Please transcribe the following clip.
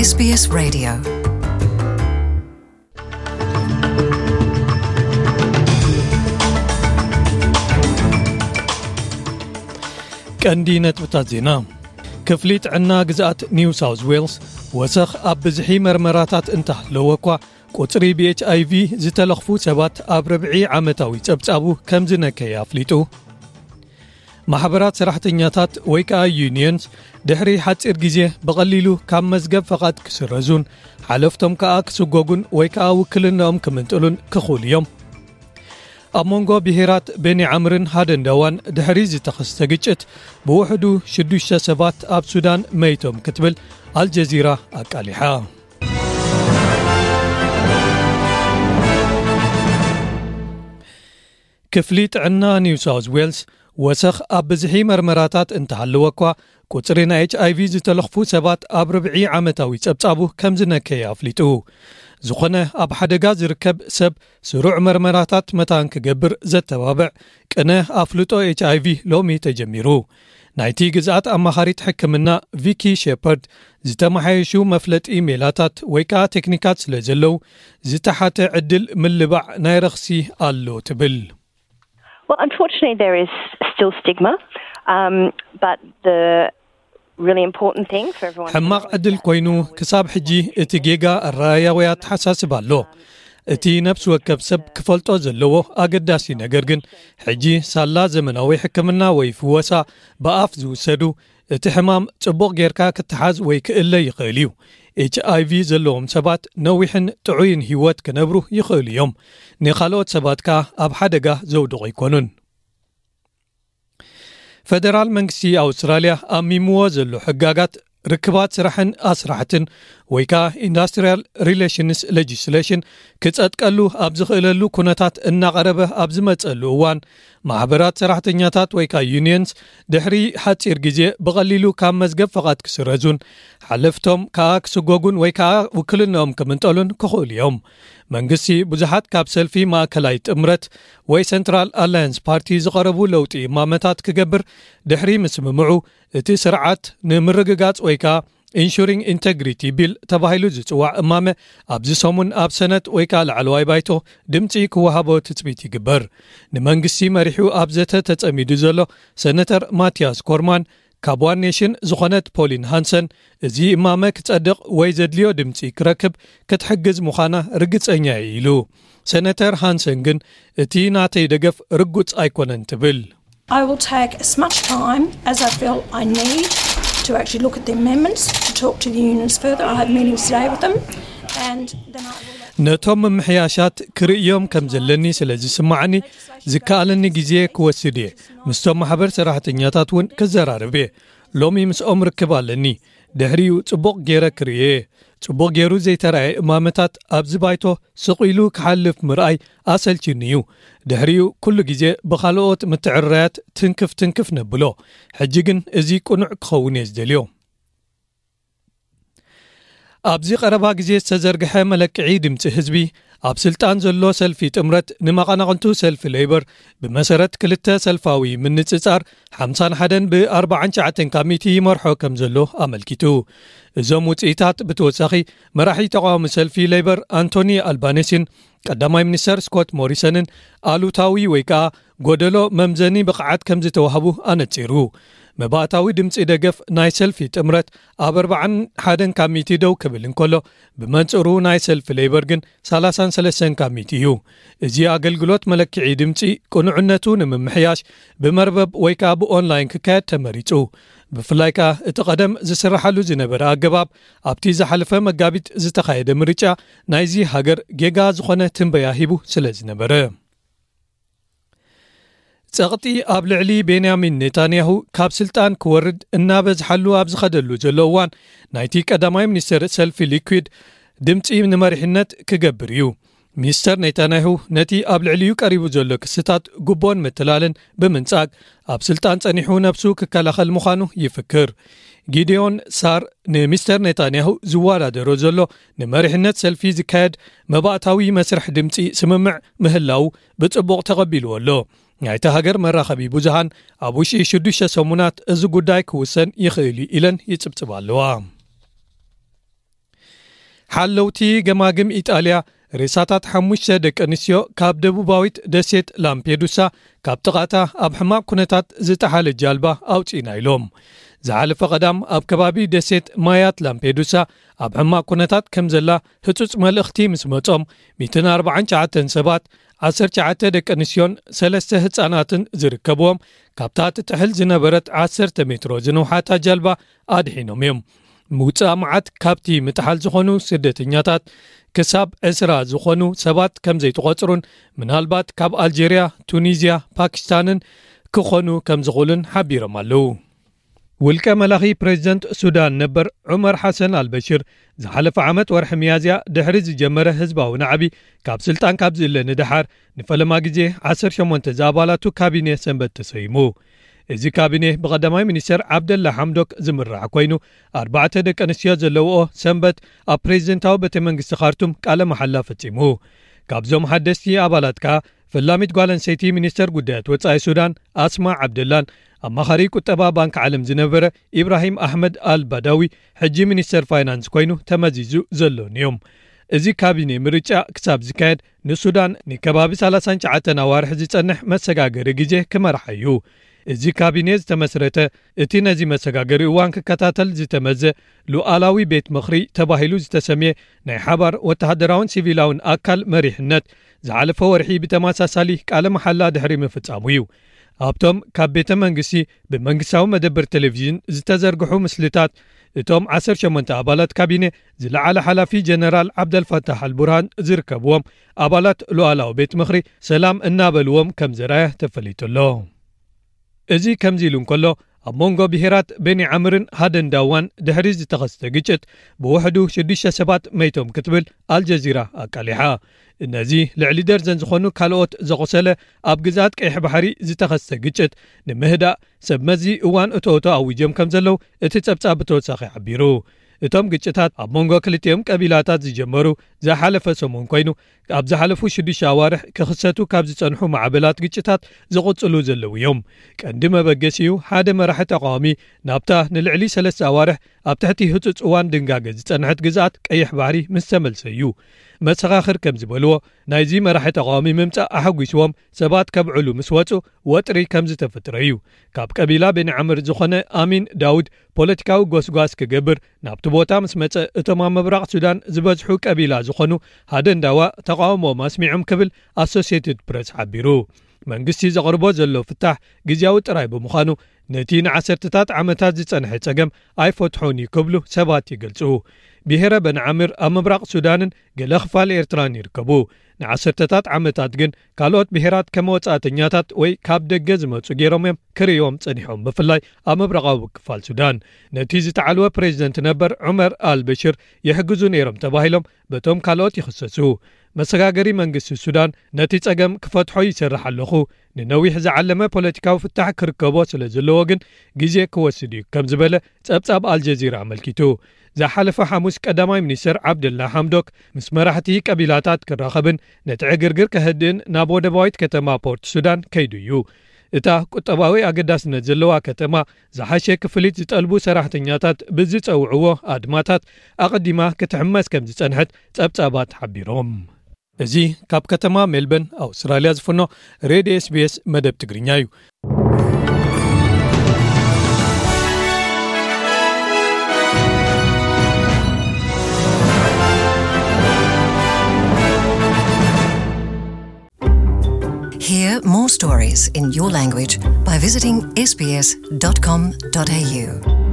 SBS Radio. ቀንዲ ነጥብታት ዜና። ክፍሊ ጥዕና ግዝኣት ኒው ሳውዝ ዌልስ፣ ወሰኽ ኣብ ብዝሒ መርመራታት እንተሃለወ እኳ፣ ቁጽሪ ብኤች ኣይ ቪ ዝተለኽፉ ሰባት ኣብ ርብዒ ዓመታዊ ጸብጻቡ ከም ዝነከየ ኣፍሊጡ። ማሕበራት ሰራሕተኛታት ወይ ከኣ ዩኒየንስ፣ ድሕሪ ሓጺር ግዜ ብቐሊሉ ካብ መዝገብ ፈቓድ ክስረዙን ሓለፍቶም ከኣ ክስጎጉን ወይ ከኣ ውክልናኦም ክምንጥሉን ክኽእሉ እዮም። ኣብ መንጎ ብሄራት ቤኒ ዓምርን ሃደንዳዋን ድሕሪ ዝተኸስተ ግጭት፣ ብውሕዱ ሽዱሽተ ሰባት ኣብ ሱዳን መይቶም ክትብል ኣልጀዚራ ኣቃሊሓ። ክፍሊ ጥዕና ኒው ሳውዝ ዌልስ፣ ወሰኽ ኣብ ብዝሒ መርመራታት እንተሃለወ እኳ፣ ቁጽሪ ናይ ኤች ኣይ ቪ ዝተለኽፉ ሰባት ኣብ ርብዒ ዓመታዊ ጸብጻቡ ከም ዝነከየ ኣፍሊጡ። ዝኾነ ኣብ ሓደጋ ዝርከብ ሰብ ስሩዕ መርመራታት መታን ክገብር ዘተባብዕ ቅነ ኣፍልጦ ኤች ኣይ ቪ ሎሚ ተጀሚሩ። ናይቲ ግዝኣት ኣማኻሪት ሕክምና ቪኪ ሼፐርድ፣ ዝተመሓየሹ መፍለጢ ሜላታት ወይ ከኣ ቴክኒካት ስለ ዘለዉ፣ ዝተሓተ ዕድል ምልባዕ ናይ ረኽሲ ኣሎ ትብል። Well, unfortunately, there is still stigma, um, but the really important thing for everyone to ሕማቕ know is ዕድል that ኮይኑ፣ ክሳብ ሕጂ እቲ ጌጋ ኣረኣያ ወይ ኣተሓሳስባ ኣሎ። እቲ ነፍሲ ወከፍ ሰብ ክፈልጦ ዘለዎ ኣገዳሲ ነገር ግን፣ ሕጂ ሳላ ዘመናዊ ሕክምና ወይ ፍወሳ ብኣፍ ዝውሰዱ፣ እቲ ሕማም ጽቡቕ ጌርካ ክትሓዝ ወይ ክእለ ይኽእል እዩ። ኤች ኣይ ቪ ዘለዎም ሰባት ነዊሕን ጥዑይን ህይወት ክነብሩ ይኽእሉ እዮም። ንኻልኦት ሰባት ከኣ ኣብ ሓደጋ ዘውድቑ ኣይኮኑን። ፈደራል መንግስቲ ኣውስትራልያ ኣሚምዎ ዘሎ ሕጋጋት ርክባት ስራሕን ኣስራሕትን ወይ ከኣ ኢንዳስትሪያል ሪሌሽንስ ሌጂስሌሽን ክጸድቀሉ ኣብ ዝኽእለሉ ኩነታት እናቐረበ ኣብ ዝመጸሉ እዋን፣ ማሕበራት ሰራሕተኛታት ወይ ከኣ ዩኒየንስ ድሕሪ ሓጺር ግዜ ብቐሊሉ ካብ መዝገብ ፈቓድ ክስረዙን ሓለፍቶም ከኣ ክስጎጉን ወይ ከኣ ውክልንኦም ክምንጠሉን ክኽእሉ እዮም። መንግስቲ ብዙሓት ካብ ሰልፊ ማእከላይ ጥምረት ወይ ሰንትራል ኣላያንስ ፓርቲ ዝቐረቡ ለውጢ እማመታት ክገብር ድሕሪ ምስምምዑ፣ እቲ ስርዓት ንምርግጋጽ ወይ ከኣ ኢንሹሪንግ ኢንተግሪቲ ቢል ተባሂሉ ዝጽዋዕ እማመ ኣብዚ ሰሙን ኣብ ሰነት ወይ ከኣ ላዕለዋይ ባይቶ ድምጺ ክወሃቦ ትጽቢት ይግበር። ንመንግስቲ መሪሑ ኣብ ዘተ ተጸሚዱ ዘሎ ሰነተር ማቲያስ ኮርማን፣ ካብ ዋን ኔሽን ዝኾነት ፖሊን ሃንሰን፣ እዚ እማመ ክጸድቕ ወይ ዘድልዮ ድምጺ ክረክብ ክትሕግዝ ምዃና ርግጸኛ እየ ኢሉ። ሰነተር ሃንሰን ግን፣ እቲ ናተይ ደገፍ ርጉጽ ኣይኮነን ትብል። I will take as much time as I feel I need to actually look at the amendments, to talk to the unions further. I have meetings today with them, and then I will let ነቶም ምምሕያሻት ክርእዮም ከም ዘለኒ ስለ ዝስማዓኒ፣ ዝከኣለኒ ግዜ ክወስድ እየ። ምስቶም ማሕበር ሰራሕተኛታት እውን ክዘራርብ እየ። ሎሚ ምስኦም ርክብ ኣለኒ። ድሕሪኡ ጽቡቕ ገይረ ክርእዮ እየ። ጽቡቕ ገይሩ ዘይተራእየ እማመታት ኣብዚ ባይቶ ስቕ ኢሉ ክሓልፍ ምርኣይ ኣሰልችኒ እዩ። ድሕሪኡ ኩሉ ግዜ ብኻልኦት ምትዕርራያት ትንክፍ ትንክፍ ነብሎ። ሕጂ ግን እዚ ቅኑዕ ክኸውን እየ ዝደልዮ። ኣብዚ ቀረባ ግዜ ዝተዘርግሐ መለክዒ ድምፂ ህዝቢ፣ ኣብ ስልጣን ዘሎ ሰልፊ ጥምረት ንመቐናቕንቱ ሰልፊ ሌበር ብመሰረት ክልተ ሰልፋዊ ምንጽጻር ሓምሳን ሓደን ብኣርባዓን ትሽዓተን ካብ ሚእቲ ይመርሖ ከም ዘሎ ኣመልኪቱ። እዞም ውጽኢታት ብተወሳኺ፣ መራሒ ተቓዋሚ ሰልፊ ሌበር ኣንቶኒ ኣልባኔሲን ቀዳማይ ሚኒስተር ስኮት ሞሪሰንን ኣሉታዊ ወይ ከኣ ጎደሎ መምዘኒ ብቕዓት ከም ዝተዋህቡ ኣነጺሩ። መባእታዊ ድምጺ ደገፍ ናይ ሰልፊ ጥምረት ኣብ ኣርባዓን ሓደን ካብ ሚእቲ ደው ክብል እንከሎ፣ ብመንጽሩ ናይ ሰልፊ ሌበር ግን ሰላሳን ሰለስተን ካብ ሚእቲ እዩ። እዚ ኣገልግሎት መለክዒ ድምጺ ቅኑዕነቱ ንምምሕያሽ ብመርበብ ወይ ከኣ ብኦንላይን ክካየድ ተመሪጹ። ብፍላይ ከኣ እቲ ቀደም ዝስራሓሉ ዝነበረ ኣገባብ ኣብቲ ዝሓለፈ መጋቢት ዝተኻየደ ምርጫ ናይዚ ሃገር ጌጋ ዝኾነ ትንበያ ሂቡ ስለ ዝነበረ። ጸቕጢ ኣብ ልዕሊ ቤንያሚን ኔታንያሁ ካብ ስልጣን ክወርድ እናበዝሓሉ ኣብ ዝኸደሉ ዘሎ እዋን፣ ናይቲ ቀዳማይ ሚኒስተር ሰልፊ ሊኩድ ድምጺ ንመሪሕነት ክገብር እዩ። ሚስተር ኔታንያሁ ነቲ ኣብ ልዕሊኡ ቀሪቡ ዘሎ ክስታት ጉቦን ምትላልን ብምንጻግ፣ ኣብ ስልጣን ጸኒሑ ነብሱ ክከላኸል ምዃኑ ይፍክር። ጊዴዮን ሳር፣ ንሚስተር ኔታንያሁ ዝወዳደሮ ዘሎ ንመሪሕነት ሰልፊ ዝካየድ መባእታዊ መስርሕ ድምጺ ስምምዕ ምህላው ብጽቡቕ ተቐቢልዎ ኣሎ። ናይታ ሃገር መራኸቢ ብዙሃን፣ ኣብ ውሽጢ ሽዱሽተ ሰሙናት እዚ ጉዳይ ክውሰን ይኽእል እዩ ኢለን ይጽብጽባ ኣለዋ። ሓለውቲ ገማግም ኢጣልያ ሬሳታት ሓሙሽተ ደቂ ኣንስትዮ ካብ ደቡባዊት ደሴት ላምፔዱሳ ካብ ጥቓታ ኣብ ሕማቕ ኩነታት ዝጠሓለት ጃልባ ኣውጺእና ኢሎም። ዝሓለፈ ቀዳም ኣብ ከባቢ ደሴት ማያት ላምፔዱሳ ኣብ ሕማቕ ኩነታት ከም ዘላ ህጹጽ መልእኽቲ ምስ መጾም፣ ሚእትን ኣርባዓን ትሽዓተን ሰባት፣ ዓሰርተ ትሽዓተ ደቂ ኣንስትዮን ሰለስተ ህጻናትን ዝርከብዎም፣ ካብታ ትጥሕል ዝነበረት ዓሰርተ ሜትሮ ዝነውሓታ ጃልባ ኣድሒኖም እዮም። ምውጻእ መዓት ካብቲ ምጥሓል ዝኾኑ ስደተኛታት ክሳብ ዕስራ ዝኾኑ ሰባት ከም ዘይተቖጽሩን፣ ምናልባት ካብ ኣልጀርያ፣ ቱኒዝያ፣ ፓኪስታንን ክኾኑ ከም ዝኽእሉን ሓቢሮም ኣለዉ። ውልቀ መላኺ ፕሬዚደንት ሱዳን ነበር ዑመር ሓሰን ኣልበሽር ዝሓለፈ ዓመት ወርሒ ሚያዝያ ድሕሪ ዝጀመረ ህዝባዊ ናዕቢ ካብ ስልጣን ካብ ዝእለ ንደሓር ንፈለማ ግዜ ዓሰርተ ሸሞንተ ዝኣባላቱ ካቢኔ ሰንበት ተሰይሙ። እዚ ካቢኔ ብቐዳማይ ሚኒስተር ዓብደላ ሓምዶክ ዝምራሕ ኮይኑ፣ ኣርባዕተ ደቂ ኣንስትዮ ዘለውኦ ሰንበት ኣብ ፕሬዚደንታዊ ቤተ መንግስቲ ካርቱም ቃለ መሓላ ፈጺሙ። ካብዞም ሓደስቲ ኣባላት ከኣ ፈላሚት ጓል ኣንስተይቲ ሚኒስተር ጉዳያት ወጻኢ ሱዳን ኣስማ ዓብደላን ኣማኻሪ ቁጠባ ባንክ ዓለም ዝነበረ ኢብራሂም ኣሕመድ ኣል ባዳዊ ሕጂ ሚኒስተር ፋይናንስ ኮይኑ ተመዚዙ ዘሎን እዮም። እዚ ካቢኔ ምርጫ ክሳብ ዝካየድ ንሱዳን ንከባቢ ሰላሳን ትሽዓተን ኣዋርሕ ዝጸንሕ መሰጋገሪ ግዜ ክመርሓ እዩ። እዚ ካቢኔ ዝተመስረተ እቲ ነዚ መሰጋገሪ እዋን ክከታተል ዝተመዘ ሉዓላዊ ቤት ምኽሪ ተባሂሉ ዝተሰምየ ናይ ሓባር ወተሃደራውን ሲቪላውን ኣካል መሪሕነት ዝሓለፈ ወርሒ ብተመሳሳሊ ቃለ መሓላ ድሕሪ ምፍጻሙ እዩ። ኣብቶም ካብ ቤተ መንግስቲ ብመንግስታዊ መደብር ቴሌቪዥን ዝተዘርግሑ ምስልታት እቶም ዓሰርተ ሸሞንተ ኣባላት ካቢኔ ዝለዓለ ሓላፊ ጀነራል ዓብደልፋታሕ ኣልቡርሃን ዝርከብዎም ኣባላት ሉዓላዊ ቤት ምኽሪ ሰላም እናበልዎም ከም ዘርኣየ ተፈሊጡ ኣሎ። እዚ ከምዚ ኢሉ እንከሎ፣ ኣብ መንጎ ብሄራት ቤኒ ዓምርን ሃደን ዳዋን ድሕሪ ዝተኸስተ ግጭት ብውሕዱ ሽዱሽተ ሰባት መይቶም ክትብል ኣልጀዚራ ኣቃሊሓ። ነዚ ልዕሊ ደርዘን ዝኾኑ ካልኦት ዘቑሰለ ኣብ ግዝኣት ቀይሕ ባሕሪ ዝተኸስተ ግጭት ንምህዳእ ሰብ መዚ እዋን እቶእቶ ኣዊጆም ከም ዘለዉ እቲ ጸብጻብ ብተወሳኺ ሓቢሩ። እቶም ግጭታት ኣብ መንጎ ክልቲኦም ቀቢላታት ዝጀመሩ ዝሓለፈ ሰሙን ኮይኑ፣ ኣብ ዝሓለፉ ሽዱሽተ ኣዋርሕ ክኽሰቱ ካብ ዝጸንሑ ማዕበላት ግጭታት ዝቕጽሉ ዘለዉ እዮም። ቀንዲ መበገሲኡ ሓደ መራሒ ተቃዋሚ ናብታ ንልዕሊ ሰለስተ ኣዋርሕ ኣብ ትሕቲ ህጹጽ እዋን ድንጋገ ዝጸንሐት ግዝኣት ቀይሕ ባሕሪ ምስ ተመልሰ እዩ። መሰኻኽር ከም ዝበልዎ፣ ናይዚ መራሒ ተቃዋሚ ምምጻእ ኣሐጒስዎም ሰባት ከብዕሉ ምስ ወጹ ወጥሪ ከም ዝተፈጥረ እዩ። ካብ ቀቢላ ቤኒ ዓምር ዝኾነ ኣሚን ዳውድ ፖለቲካዊ ጎስጓስ ክገብር ናብቲ ቦታ ምስ መጸ፣ እቶም ኣብ ምብራቕ ሱዳን ዝበዝሑ ቀቢላ ዝኾኑ ሃደንዳዋ ተቃውሞኦም ኣስሚዖም ክብል ኣሶሲየትድ ፕረስ ሓቢሩ። መንግስቲ ዘቕርቦ ዘሎ ፍታሕ ግዝያዊ ጥራይ ብምዃኑ፣ ነቲ ንዓሰርተታት ዓመታት ዝጸንሐ ጸገም ኣይፈትሖን እዩ ክብሉ ሰባት ይገልጹ። ብሄረ በንዓምር ኣብ ምብራቕ ሱዳንን ገለ ክፋል ኤርትራን ይርከቡ። ንዓሰርተታት ዓመታት ግን ካልኦት ብሄራት ከም ወጻእተኛታት ወይ ካብ ደገ ዝመጹ ገይሮም እዮም ክርእዮም ጸኒሖም፣ ብፍላይ ኣብ ምብራቓዊ ክፋል ሱዳን። ነቲ ዝተዓልወ ፕሬዚደንት ነበር ዑመር ኣልበሽር ይሕግዙ ነይሮም ተባሂሎም በቶም ካልኦት ይኽሰሱ። መሰጋገሪ መንግስቲ ሱዳን ነቲ ጸገም ክፈትሖ ይሰርሕ ኣለኹ፣ ንነዊሕ ዝዓለመ ፖለቲካዊ ፍታሕ ክርከቦ ስለ ዘለዎ ግን ግዜ ክወስድ እዩ ከም ዝበለ ጸብጻብ ኣልጀዚራ ኣመልኪቱ። ዝሓለፈ ሓሙስ ቀዳማይ ሚኒስተር ዓብደላ ሓምዶክ ምስ መራሕቲ ቀቢላታት ክራኸብን ነቲ ዕግርግር ከህድእን ናብ ወደባዊት ከተማ ፖርት ሱዳን ከይዱ እዩ። እታ ቁጠባዊ ኣገዳስነት ዘለዋ ከተማ ዝሓሸ ክፍሊት ዝጠልቡ ሰራሕተኛታት ብዝጸውዕዎ ኣድማታት ኣቐዲማ ክትሕመስ ከም ዝጸንሐት ጸብጻባት ሓቢሮም። እዚ ካብ ከተማ ሜልበርን ኣውስትራልያ ዝፍኖ ሬድዮ ኤስቢኤስ መደብ ትግርኛ እዩ። Hear more stories in your language by visiting S B S dot com dot A U.